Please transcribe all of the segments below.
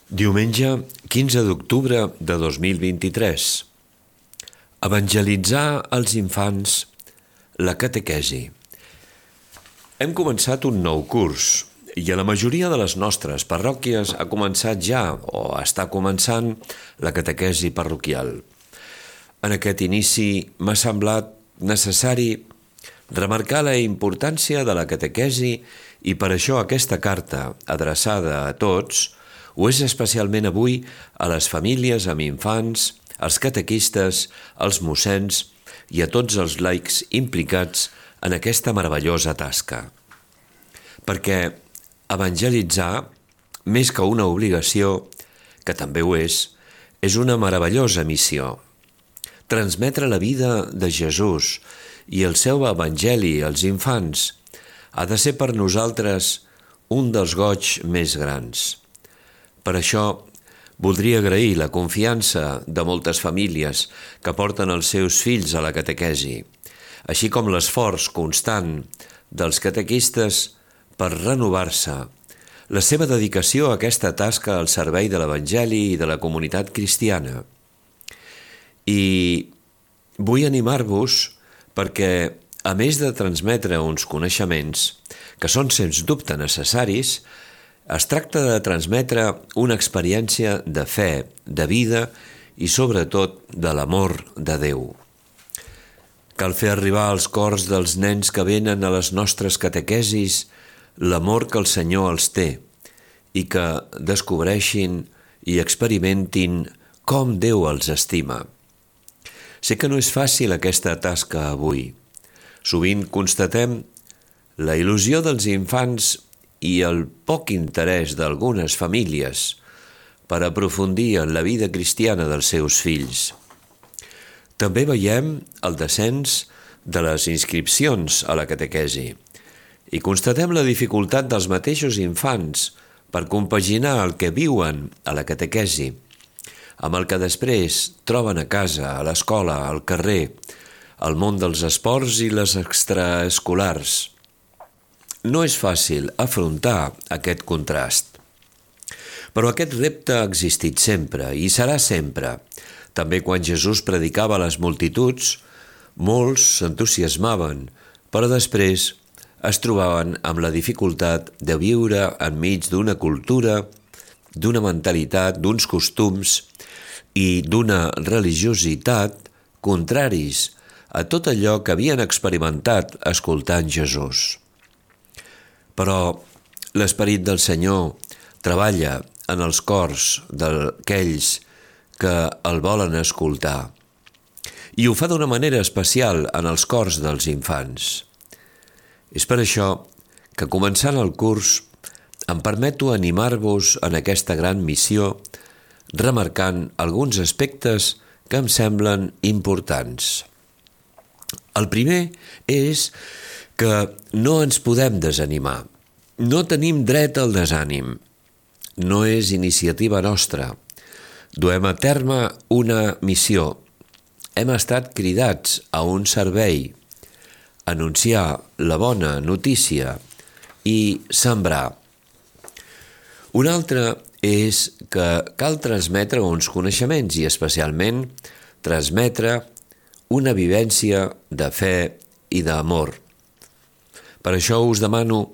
Diumenge 15 d'octubre de 2023. Evangelitzar els infants, la catequesi. Hem començat un nou curs i a la majoria de les nostres parròquies ha començat ja o està començant la catequesi parroquial. En aquest inici m'ha semblat necessari remarcar la importància de la catequesi i per això aquesta carta, adreçada a tots, ho és especialment avui a les famílies amb infants, als catequistes, als mossens i a tots els laics implicats en aquesta meravellosa tasca. Perquè evangelitzar, més que una obligació, que també ho és una meravellosa missió. Transmetre la vida de Jesús i el seu evangeli als infants ha de ser per nosaltres un dels goigs més grans. Per això, voldria agrair la confiança de moltes famílies que porten els seus fills a la catequesi, així com l'esforç constant dels catequistes per renovar-se, la seva dedicació a aquesta tasca al servei de l'Evangeli i de la comunitat cristiana. I vull animar-vos perquè, a més de transmetre uns coneixements que són sens dubte necessaris, es tracta de transmetre una experiència de fe, de vida i sobretot de l'amor de Déu. Cal fer arribar als cors dels nens que venen a les nostres catequesis l'amor que el Senyor els té i que descobreixin i experimentin com Déu els estima. Sé que no és fàcil aquesta tasca avui. Sovint constatem la il·lusió dels infants i el poc interès d'algunes famílies per aprofundir en la vida cristiana dels seus fills. També veiem el descens de les inscripcions a la catequesi i constatem la dificultat dels mateixos infants per compaginar el que viuen a la catequesi amb el que després troben a casa, a l'escola, al carrer, al món dels esports i les extraescolars. No és fàcil afrontar aquest contrast. Però aquest repte ha existit sempre i serà sempre. També quan Jesús predicava a les multituds, molts s'entusiasmaven, però després es trobaven amb la dificultat de viure enmig d'una cultura, d'una mentalitat, d'uns costums i d'una religiositat contraris a tot allò que havien experimentat escoltant Jesús. Però l'Esperit del Senyor treballa en els cors d'aquells que el volen escoltar i ho fa d'una manera especial en els cors dels infants. És per això que començant el curs em permeto animar-vos en aquesta gran missió remarcant alguns aspectes que em semblen importants. El primer és que no ens podem desanimar. No tenim dret al desànim. No és iniciativa nostra. Duem a terme una missió. Hem estat cridats a un servei, anunciar la bona notícia i sembrar. Un altre és que cal transmetre uns coneixements i especialment transmetre una vivència de fe i d'amor. Per això us demano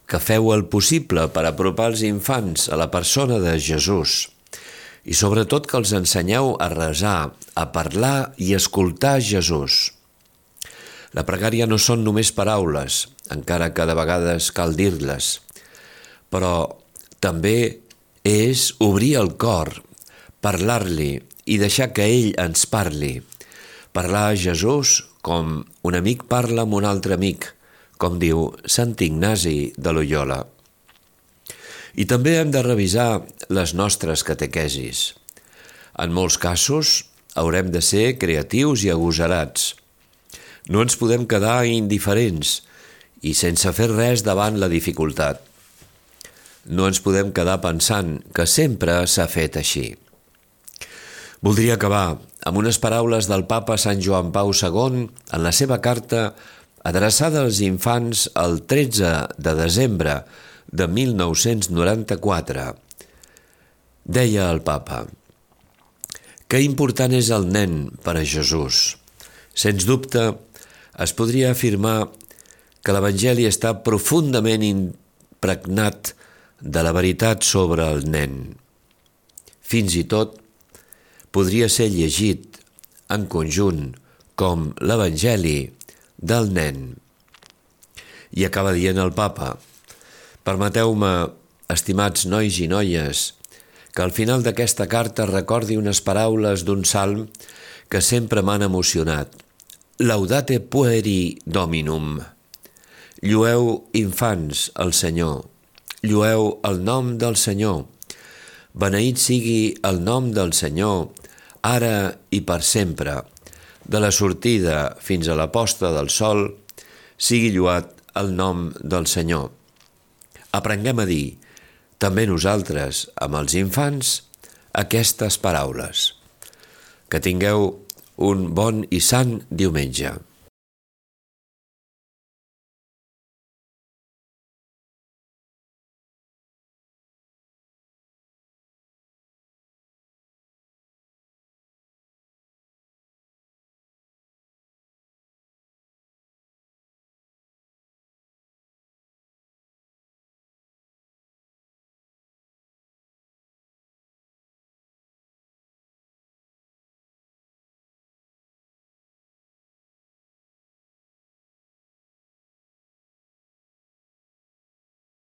que feu el possible per apropar els infants a la persona de Jesús i sobretot que els ensenyeu a resar, a parlar i escoltar Jesús. La pregària no són només paraules, encara que de vegades cal dir-les, però també és obrir el cor, parlar-li i deixar que ell ens parli. Parlar a Jesús com un amic parla amb un altre amic, com diu Sant Ignasi de Loyola. I també hem de revisar les nostres catequesis. En molts casos haurem de ser creatius i agosarats. No ens podem quedar indiferents i sense fer res davant la dificultat. No ens podem quedar pensant que sempre s'ha fet així. Voldria acabar amb unes paraules del papa Sant Joan Pau II en la seva carta adreçada als infants el 13 de desembre de 1994. Deia el papa: que important és el nen per a Jesús. Sens dubte, es podria afirmar que l'Evangeli està profundament impregnat de la veritat sobre el nen. Fins i tot podria ser llegit en conjunt com l'Evangeli del nen. I acaba dient el papa: permeteu-me, estimats nois i noies, que al final d'aquesta carta recordi unes paraules d'un salm que sempre m'han emocionat. Laudate pueri Dominum. Llueu, infants, el Senyor. Llueu el nom del Senyor. Beneït sigui el nom del Senyor, ara i per sempre. De la sortida fins a la posta del sol, sigui lluat el nom del Senyor. Aprenguem a dir, també nosaltres, amb els infants, aquestes paraules. Que tingueu un bon i sant diumenge.